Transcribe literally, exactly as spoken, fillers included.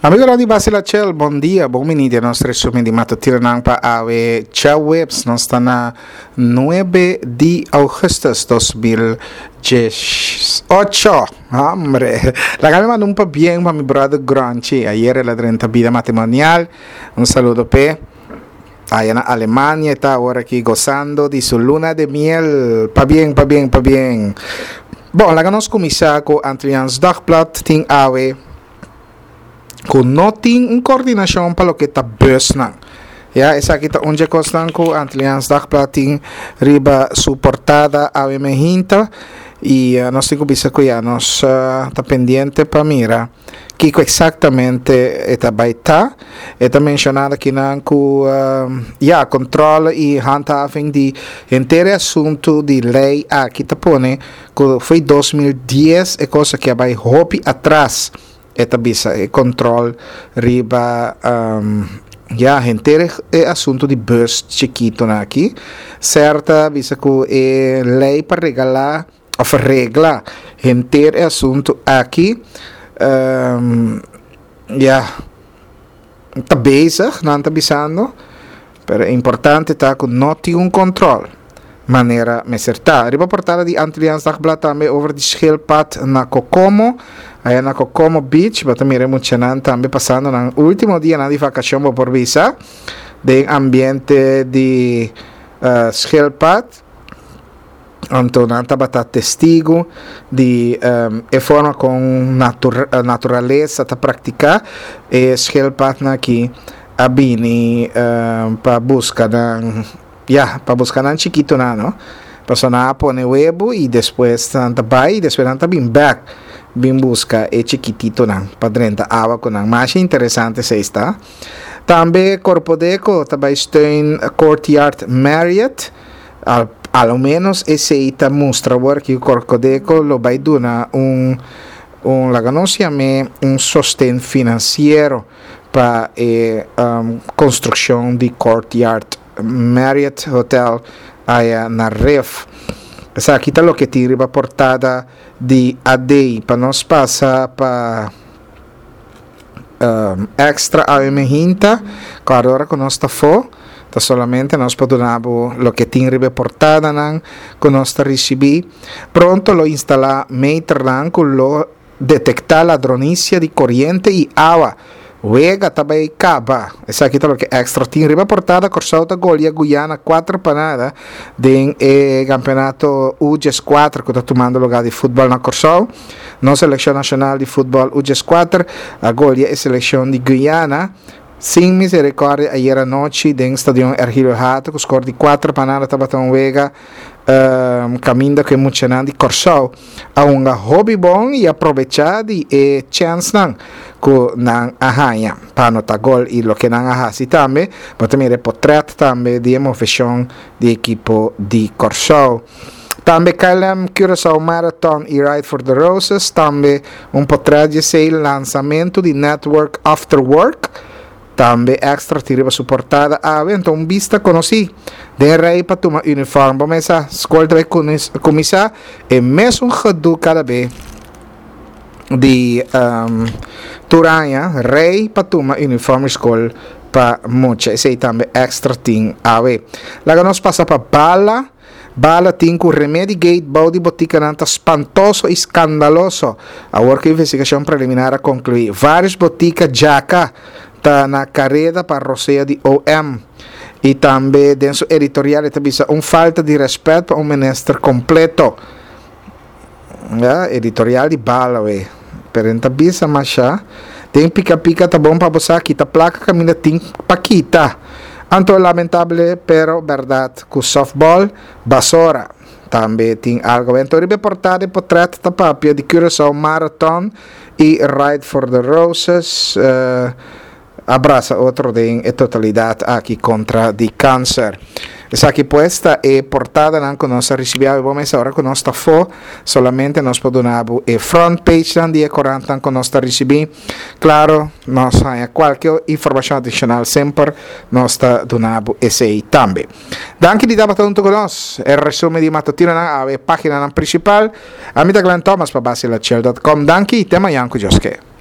Amigonan di Basila Chel, bon dia, bon bini den nos resumen di matutinonan pa awe djaweps, nos ta na nuebe di augustus dos mil diesocho. Hombre, laga mi manda un pabien pa mi brother Gronchi, ayer el a drenta bida matrimonial, un saludo p'e. Aya na Alemania e ta awor aki gozando di su luna de miel. Pabien, pabien, pabien. Bon, laga nos kuminsá ku Antilliaans Dagblad tin awe ku no tin un koordinashon pa loke ta busnan. Ya, esaki ta un dje kosnan ku Antilliaans Dagblad tin riba su portada awe mehinta i nos tin ku bisa ku ya nos ta pendiente pa mira kiko eksaktamente e ta bai ta. E ta menshoná akinan ku ya, kontrole i handhaving di henter e asuntu di lei aki ta pone ku fo'i dos mil dies e kos aki a bai hopi atras. E ta bisa e kontrol riba ya henter e asuntu di bus chikitonan aki. Ser ta bisa ku e lei pa regalá òf regla henter e asuntu aki ya ta bezig, nan ta bisando, pero e importante ta ku no tin un kontrol manera mester ta. Riba portada di Antilliaans Dagblad tambe over di schildpad na Kokomo, aya na Kokomo Beach, bo ta mira e muchanan tambe pasando nan ultimo dianan di vakashon, bo por bisa, den ambiente di schildpad. Anto nan tabata testigu di e forma kon naturalesa ta praktiká. E schildpadnan aki a bini pa buska nan, ya, pa buska nan chikitonan, no? Pasobra nan a pone webu i despues nan ta bai i despues nan ta bin bèk bin buska e chikititonan pa drenta awa ku nan. Masha interesante esei sta. Tambe Korpodeko ta bai steun Courtyard Marriott. Al, a lo menos esei ta mustra awor ki Korpodeko lo bai duna un, un laga nos yam'é un sosten finansiero pa e um, konstrukshon di Courtyard Marriott Hotel aya na Rif. Esaki ta loke tin riba portada di A D. Pa nos pasa pa um, Extra A M Hinta, ku ora ku nos ta fo, ta solamente nos por duna bo loke tin riba portadanan ku nos ta risibí. Pronto lo instalá meternan ku lo detektá ladronisia di koriente i awa. Wega ta bai kaba. Esaki ta loke Extra tin riba portada. Kòrsou ta golia Guyana kuater pa nada den e kampeonato U dieskuater ku ta tumando lugá di futbòl na Kòrsou. Nos selekshon nashonal di futbòl U dieskuater a golia e selekshon di Guyana sin miserikòrdia ayera nochi den stadion Ergilio Hato ku skor di kuater pa nada. Tabata un wega kaminda ku e muchanan di Kòrsou a hunga hopi bon i a probechá di e chènsnan ku nan a haña pa anotá gol i loke nan a hasi tambe. Bo ta mira e potrèt tambe di e moveshon di ekipo di Kòrsou. Tambe K L M Curaçao Marathon i Ride for the Roses, tambe un potrèt di esei lansamentu di Network After Work. Tambe Extra tin riba su portada awe, anto un bista konosí den rei pa tuma uniform. Bo mesa skol ta bai kuminsá e mesun gedoe kada be di tur aña, rei pa tuma uniform di skol pa mucha. Esei tambe Extra tin awe. Laga nos pasa pa Bala. Bala tin ku Remedy Gate bou di botikanan ta spantoso i skandaloso. Awor ku investigashon preliminar a konkluí, vários botika djaka ta na kareda pa rosea di O M. I tambe den su editorial e ta bisa un falta di rèspèt pa un minister kompleto. Ja, editorial di Bala we. Pero en ta bisa masha. Den pika pika ta bon pa bo sa kita plaka kaminda tin pa kita. Anto lamentable pero berdad ku softball basora. Tambe tin algo. Anto riba e portada e potret ta papia di Curaçao Marathon i Ride for the Roses. Uh, abraza otro den e totalidad aki kontra di kanser. Esaki pues ta e portadanan ku nos a risibí awe. Bo mesa ora ku nos ta fo, solamente nos por duna bo e front page nan di e korantnan ku nos ta risibí. Klaro, nos haña kualke informashon adishonal semper nos ta duna bo esei tambe. Danki di tabata huntu ku nos. E resumen di matutinonan awe e paginanan prinsipal. Ami ta Glenn Thomas pa Basilachel dot com. Danki i te mañan ku Dios ke.